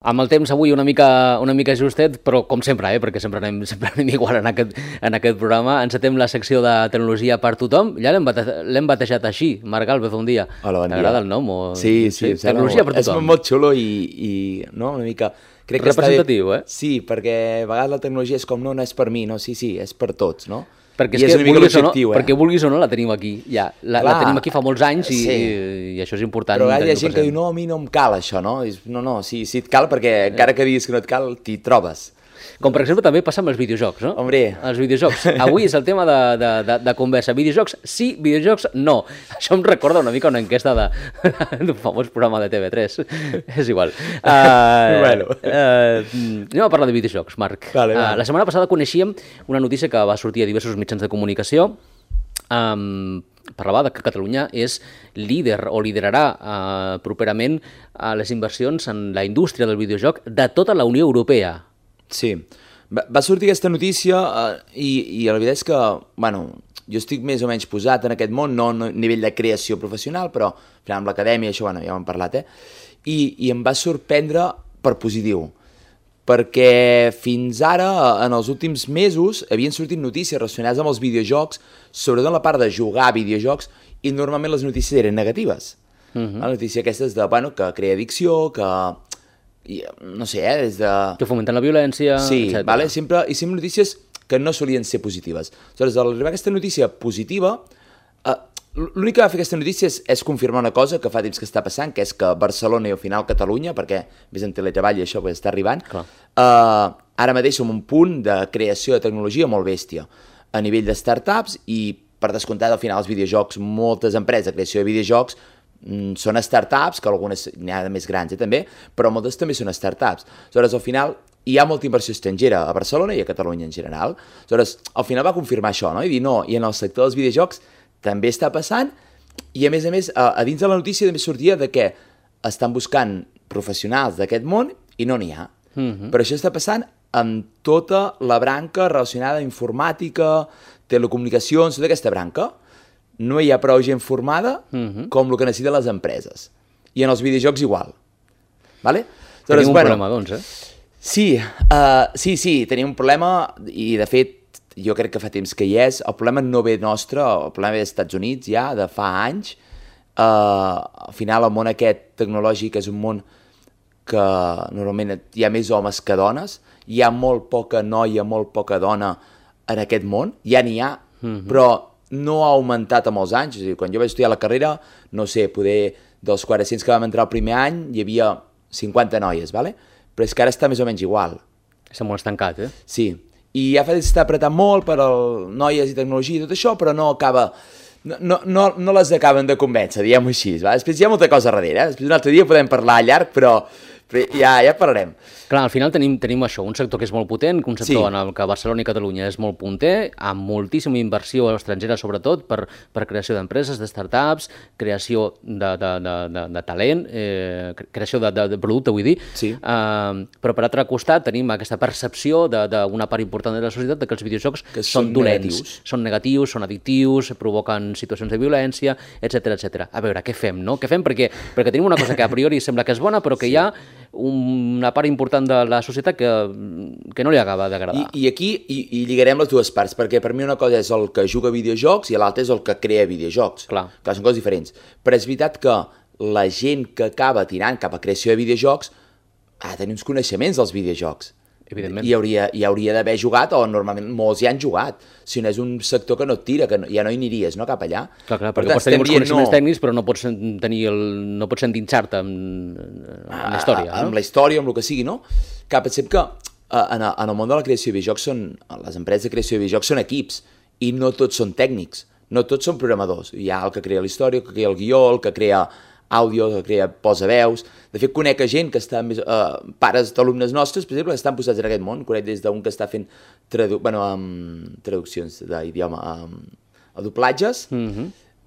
Amb el temps avui una mica justet, però com sempre, perquè sempre anem igual en aquest programa. Encetem la secció de tecnologia per tothom. Ja l'hem batejat així, Marc Galvez, un dia. Hola, bon dia. T'agrada el nom? Sí, tecnologia per tothom. És molt xulo i no, una mica... Crec que representatiu, Sí, perquè a vegades la tecnologia és com, no és per mi, no, sí, és per tots, no? Perquè és que perquè vulguis o no la tenim aquí, ja. La tenim aquí fa molts anys i això és important. Però hi ha gent que diu, no, a mi no em cal això, no? No, sí et cal perquè encara que diguis que no et cal, t'hi trobes. Com per exemple també passa amb els videojocs, no? Hombre. Els videojocs. Avui és el tema de conversa. Videojocs sí, videojocs no. Això em recorda una mica una enquesta d'un famós programa de TV3. És igual. Bueno. Anem a parlar de videojocs, Marc. Vale. La setmana passada coneixíem una notícia que va sortir a diversos mitjans de comunicació. Parlava que Catalunya és líder o liderarà properament les inversions en la indústria del videojoc de tota la Unió Europea. Sí, va sortir aquesta notícia i la veritat és que, bueno, jo estic més o menys posat en aquest món, no a nivell de creació professional, però al final amb l'acadèmia, això, bueno, ja ho hem parlat, i em va sorprendre per positiu, perquè fins ara, en els últims mesos, havien sortit notícies relacionades amb els videojocs, sobretot en la part de jugar a videojocs, i normalment les notícies eren negatives. La notícia aquesta és de, bueno, que crea addicció, que... no sé, des de... Que fomenten la violència, sí, etc. Vale? Sempre notícies que no solien ser positives. Aleshores, al arribar a aquesta notícia positiva, l'únic que va fer aquesta notícia és confirmar una cosa que fa temps que està passant, que és que Barcelona i al final Catalunya, perquè més en teletreball i això està arribant, ara mateix som un punt de creació de tecnologia molt bèstia a nivell de startups i, per descomptat, al final els videojocs, moltes empreses de creació de videojocs són startups, que algunes n'hi ha de més grans també, però moltes també són startups. Aleshores, al final, hi ha molta inversió estrangera a Barcelona i a Catalunya en general. Aleshores, al final va confirmar això, no? I dir, no, i en el sector dels videojocs també està passant, i a més, a dins de la notícia també sortia de que estan buscant professionals d'aquest món i no n'hi ha. Però això està passant amb tota la branca relacionada amb informàtica, telecomunicacions, tota aquesta branca. No hi ha prou gent formada com el que necessiten les empreses. I en els videojocs igual. Vale? Tenim un problema, doncs, Sí, tenim un problema i, de fet, jo crec que fa temps que hi és. El problema no ve nostre, el problema ve dels Estats Units ja, de fa anys. Al final, el món aquest tecnològic és un món que normalment hi ha més homes que dones. Hi ha molt poca noia, molt poca dona en aquest món. Ja n'hi ha, però no ha augmentat amb els anys. És a dir, quan jo vaig estudiar la carrera, no sé, poder dels 400 que vam entrar el primer any, hi havia 50 noies, ¿vale? Però és que ara està més o menys igual. Està molt estancat, Sí, i ja fa d'estar apretant molt per noies i tecnologia i tot això, però no acaba... No les acaben de convèncer, diguem-ho així. Va? Després hi ha molta cosa darrere, Després un altre dia podem parlar llarg, però ja parlarem. Clar, al final tenim això, un sector que és molt potent, un sector en el que Barcelona i Catalunya és molt punter, amb moltíssima inversió estrangera, sobretot, per creació d'empreses, de startups, creació de talent, creació de producte, vull dir. Sí. Però per altre costat tenim aquesta percepció d'una part important de la societat que els videojocs són dolents, són negatius, són addictius, provoquen situacions de violència, etc. A veure, què fem, no? Què fem? Perquè tenim una cosa que a priori sembla que és bona, però que hi ha una part important de la societat que no li acaba d'agradar. I aquí lligarem les dues parts, perquè per mi una cosa és el que juga a videojocs i l'altra és el que crea videojocs. Clar, són coses diferents. Però és veritat que la gent que acaba tirant cap a creació de videojocs ha de tenir uns coneixements dels videojocs. Evidentment. I hauria d'haver jugat, o normalment molts ja han jugat. Si no és un sector que no et tira, que ja no hi aniries, no, cap allà. Clar, perquè pots tenir molts coneixements tècnics, però no pots endinsar-te en la història. Amb la història, amb el que sigui, no? Que pensem que en el món de la creació de videojocs les empreses de creació de videojocs són equips, i no tots són tècnics, no tots són programadors. Hi ha el que crea la història, el que crea el guió, el que crea àudio, que crea posaveus. De fet, conec gent que està més... pares d'alumnes nostres, per exemple, que estan posats en aquest món. Conec des d'un que està fent traduccions d'idioma a doblatges,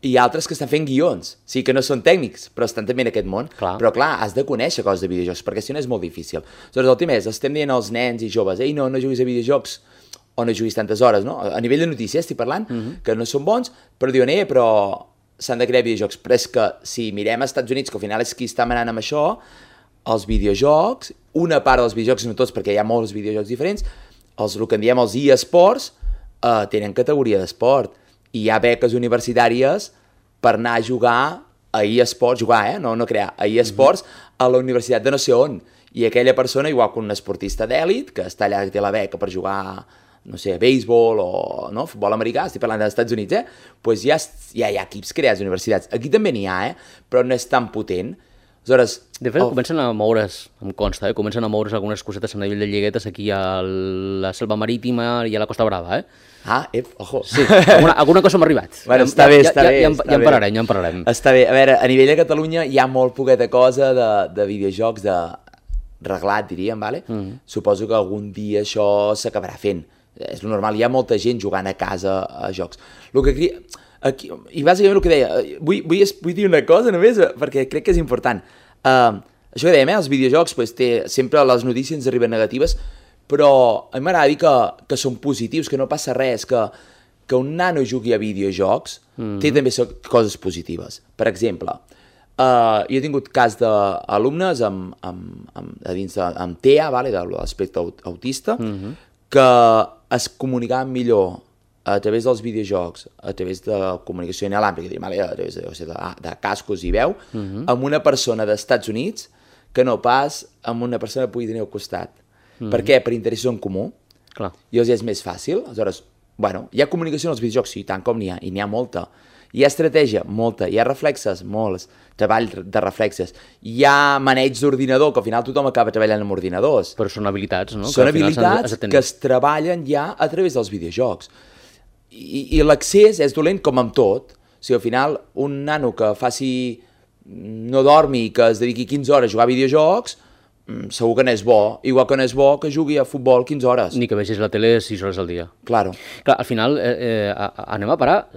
i altres que estan fent guions. Sí, que no són tècnics, però estan també en aquest món. Clar. Però, clar, has de conèixer coses de videojocs, perquè si no és molt difícil. Aleshores, el tema és, estem dient als nens i joves, ei, no juguis a videojocs, o no juguis tantes hores, no? A nivell de notícies estic parlant, que no són bons, però diuen, però s'han de crear videojocs. Però és que si mirem als Estats Units, que al final és qui està manant amb això, els videojocs una part dels videojocs, no tots, perquè hi ha molts videojocs diferents, el que en diem els eSports, tenen categoria d'esport, i hi ha beques universitàries per anar a jugar a eSports, jugar, no crear, a eSports a la universitat de no sé on, i aquella persona, igual que un esportista d'èlit, que està allà, que té la beca per jugar, no sé, béisbol o no, futbol americà, estic parlant dels Estats Units, pues ja hi ha equips creats a universitats. Aquí també n'hi ha, però no és tan potent. Aleshores, de fet, comencen a moure's, em consta, comencen a moure's algunes cosetes a nivell de lliguetes aquí a la Selva Marítima i a la Costa Brava, ojo. Sí, alguna cosa m'ha arribat. Bueno, està bé. Ja en parlarem. Està bé. A veure, a nivell de Catalunya hi ha molt poqueta cosa de videojocs, de reglat, diríem, vale? Suposo que algun dia això s'acabarà fent. És lo normal, hi ha molta gent jugant a casa a jocs. Aquí, i bàsicament el que deia, vull dir una cosa només, perquè crec que és important. Això que dèiem, els videojocs, pues, sempre les notícies ens arriben negatives, però a mi m'agrada dir que són positius, que no passa res, que un nano jugui a videojocs té també coses positives. Per exemple, jo he tingut cas d'alumnes amb TEA, de l'aspecte autista, que es comunicaven millor a través dels videojocs, a través de la comunicació inalàmbrica, a través de cascos i veu, amb una persona d'Estats Units que no pas amb una persona que pugui tenir al costat. Per què? Per interessos en comú. Clar. I els és més fàcil. Aleshores, bueno, hi ha comunicació en els videojocs, sí, tant com n'hi ha, i n'hi ha molta. Hi ha estratègia, molta. Hi ha reflexes, molts. Treball de reflexes. Hi ha maneig d'ordinador, que al final tothom acaba treballant amb ordinadors. Però són habilitats, no? Són habilitats que es treballen ja a través dels videojocs. I l'accés és dolent com amb tot. O sigui, al final, un nano que no dormi i que es dediqui 15 hores a jugar a videojocs, segur que no és bo. Igual que no és bo que jugui a futbol 15 hores. Ni que vegis la tele 6 hores al dia. Claro. Clar, al final anem a parar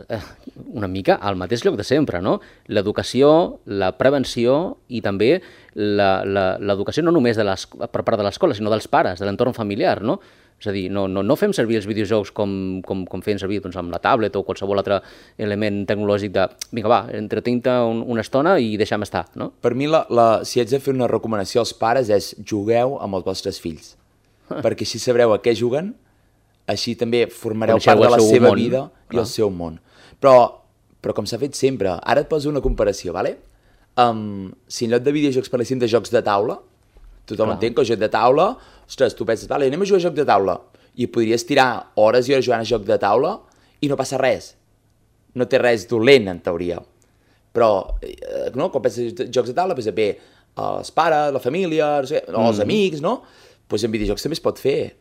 una mica al mateix lloc de sempre, no? L'educació, la prevenció i també l'educació no només per part de l'escola, sinó dels pares, de l'entorn familiar, no? És a dir, no fem servir els videojocs com feien servir amb la tablet o qualsevol altre element tecnològic de vinga, va, entretenc-te una estona i deixa'm estar, no? Per mi, si haig de fer una recomanació als pares és jugueu amb els vostres fills, perquè així sabreu a què juguen, així també formareu part de la seva vida i el seu món. Però com s'ha fet sempre, ara et poso una comparació, ¿vale? Si en lloc de videojocs parléssim de jocs de taula, tothom entén que el joc de taula, ostres, tu penses, vale, anem a jugar a joc de taula, i podries tirar hores i hores jugant a joc de taula i no passa res. No té res dolent, en teoria. Però, no, quan penses en jocs de taula, penses, bé, els pares, la família, o els amics, no? Doncs en videojocs també es pot fer.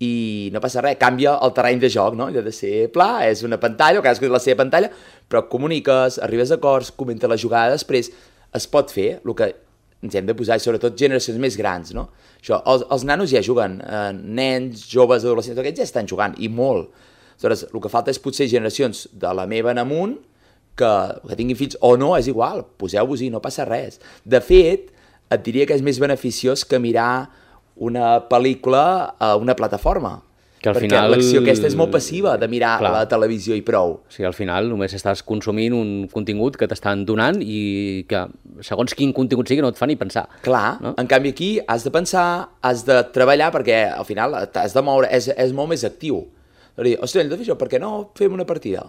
I no passa res, canvia el terreny de joc, no? Allò de ser pla, és una pantalla, o cadascú té la seva pantalla, però comuniques, arribes a acords, comenta la jugada després, es pot fer, el que ens hem de posar, i sobretot generacions més grans, no? Això, els nanos ja juguen, nens, joves, adolescents, aquests ja estan jugant, i molt. Aleshores, el que falta és potser generacions de la meva en amunt, que tinguin fills o no, és igual, poseu-vos-hi, no passa res. De fet, et diria que és més beneficiós que mirar una pel·lícula a una plataforma. Perquè l'acció aquesta és molt passiva, de mirar la televisió i prou. O sigui, al final només estàs consumint un contingut que t'estan donant i que, segons quin contingut sigui, no et fa ni pensar. Clar, no? En canvi aquí has de pensar, has de treballar, perquè al final t'has de moure, és molt més actiu. Dir, ostres, hem de fer això, per què no fem una partida?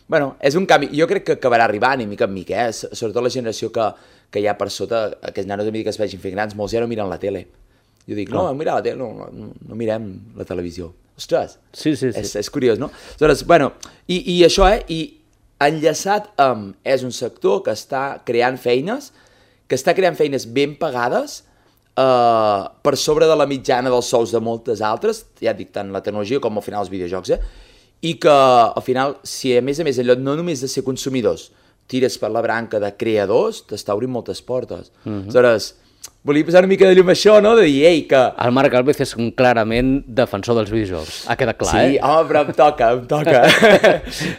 Bueno, és un canvi, jo crec que acabarà arribant, i mica en mica, sobretot la generació que hi ha per sota, aquests nanos a mi que es vegin fent grans, molts ja no miren la tele. Jo dic, no, mira la tele, no mirem la televisió. Ostres, sí. És curiós, no? Aleshores, bueno, i això, i enllaçat amb... És un sector que està creant feines ben pagades per sobre de la mitjana dels sous de moltes altres, ja dic, tant la tecnologia com al final els videojocs, i que al final, si a més, en lloc no només de ser consumidors, tires per la branca de creadors, t'està obrint moltes portes. Aleshores, volia posar una mica de llum a això, no? De dir, ei, que... El Marc Alvez és clarament defensor dels videojocs. Ha quedat clar, Sí, home, però em toca.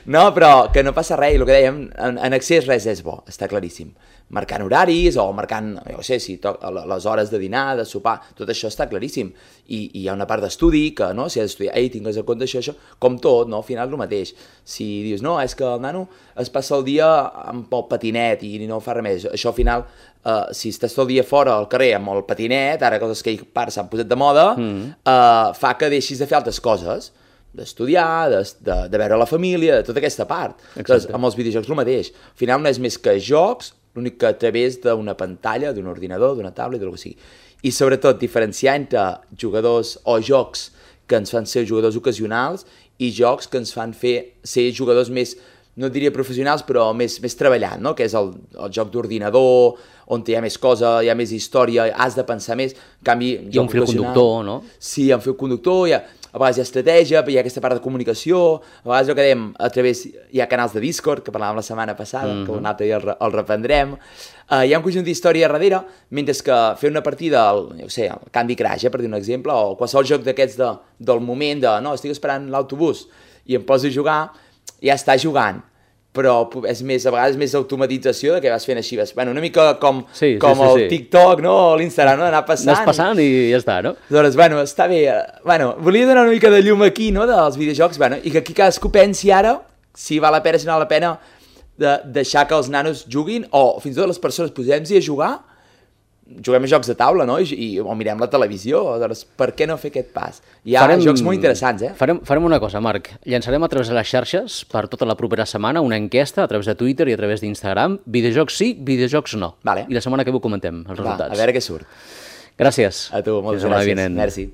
No, però que no passa res, i el que dèiem, en accés res és bo, està claríssim. marcant horaris o marcant, jo sé, si les hores de dinar, de sopar, tot això està claríssim. I hi ha una part d'estudi que, no?, si has d'estudiar, tingues en compte això, com tot, no?, al final el mateix. Si dius, no, és que el nano es passa el dia amb el patinet i no fa res més, això al final, si estàs tot el dia fora al carrer amb el patinet, ara coses que s'han posat de moda, fa que deixis de fer altres coses, d'estudiar, de veure la família, de tota aquesta part. Doncs, amb els videojocs el mateix. Al final no és més que jocs, l'únic que a través d'una pantalla, d'un ordinador, d'una tablet, del que sigui. I sobretot diferenciar entre jugadors o jocs que ens fan ser jugadors ocasionals i jocs que ens fan ser jugadors més, no diria professionals, però més treballant, no? Que és el joc d'ordinador, on hi ha més cosa, hi ha més història, has de pensar més. En canvi, hi ha un fil conductor, no? Sí, hi ha un fil conductor, a vegades hi ha estratègia, hi ha aquesta part de comunicació, a vegades ho quedem a través... Hi ha canals de Discord, que parlàvem la setmana passada, que un altre dia el reprendrem. Hi ha un conjunt d'història darrere, mentre que fer una partida, jo sé, el Candy Crush, per dir un exemple, o qualsevol joc d'aquests del moment de, no, estic esperant l'autobús i em poso a jugar, ja està jugant. Però és més, a vegades més automatització de que vas fent així, bueno, una mica com el TikTok, no? O l'Instagram, no? D'anar passant. Anàs passant i ja està, no? Doncs, bueno, està bé. Bueno, volia donar una mica de llum aquí, no?, dels videojocs, bueno, i que aquí cadascú pensi ara si val la pena, si no val la pena de deixar que els nanos juguin, o fins i tot les persones posem-hi a jugar, juguem a jocs de taula, no? O mirem la televisió, doncs per què no fer aquest pas? Hi ha jocs molt interessants, Farem una cosa, Marc. Llançarem a través de les xarxes per tota la propera setmana una enquesta a través de Twitter i a través d'Instagram. Videojocs sí, videojocs no. Vale. I la setmana que ve ho comentem, els resultats. A veure què surt. Gràcies. A tu, moltes gràcies. Merci.